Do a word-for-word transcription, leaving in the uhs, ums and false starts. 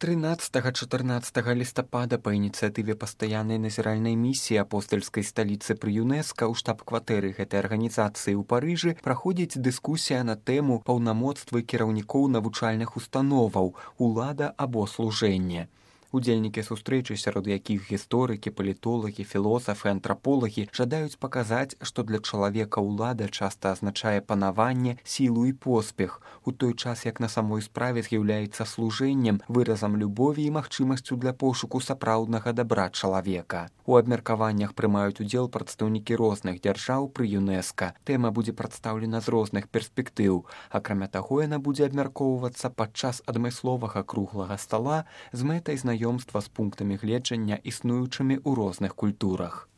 трынаццатага-чатырнаццатага лістапада па ініцыятыве пастаяннай назіральнай місіі апостальскай сталіцы пры ЮНЕСКА ў штаб-кватэры гэтай арганізацыі ў Парыжы праходзіць дыскусія на тэму паўнамоцтвы кіраўнікоў навучальных установаў, улада або служэнне. Удзельнікі сустрэчы, сярод якіх гісторыкі, палітолагі, філосафы, антраполагі, жадаюць паказаць, што для чалавека ўлада часта азначае панаванне, сілу і поспех, у той час як на самой справе з'яўляецца служэннем, выразам любові і магчымасцю для пошуку сапраўднага дабра чалавека. У абмеркаваннях прымаюць удзел прадстаўнікі розных дзяржаў пры ЮНЕСКА. Тэма будзе прадстаўлена з розных перспектыў. Акрамя таго, яна будзе абмяркоўвацца падчас адмысловага круглага стала з мэтай знаёмства з пунктамі гледжання, існуючымі ў розных культурах.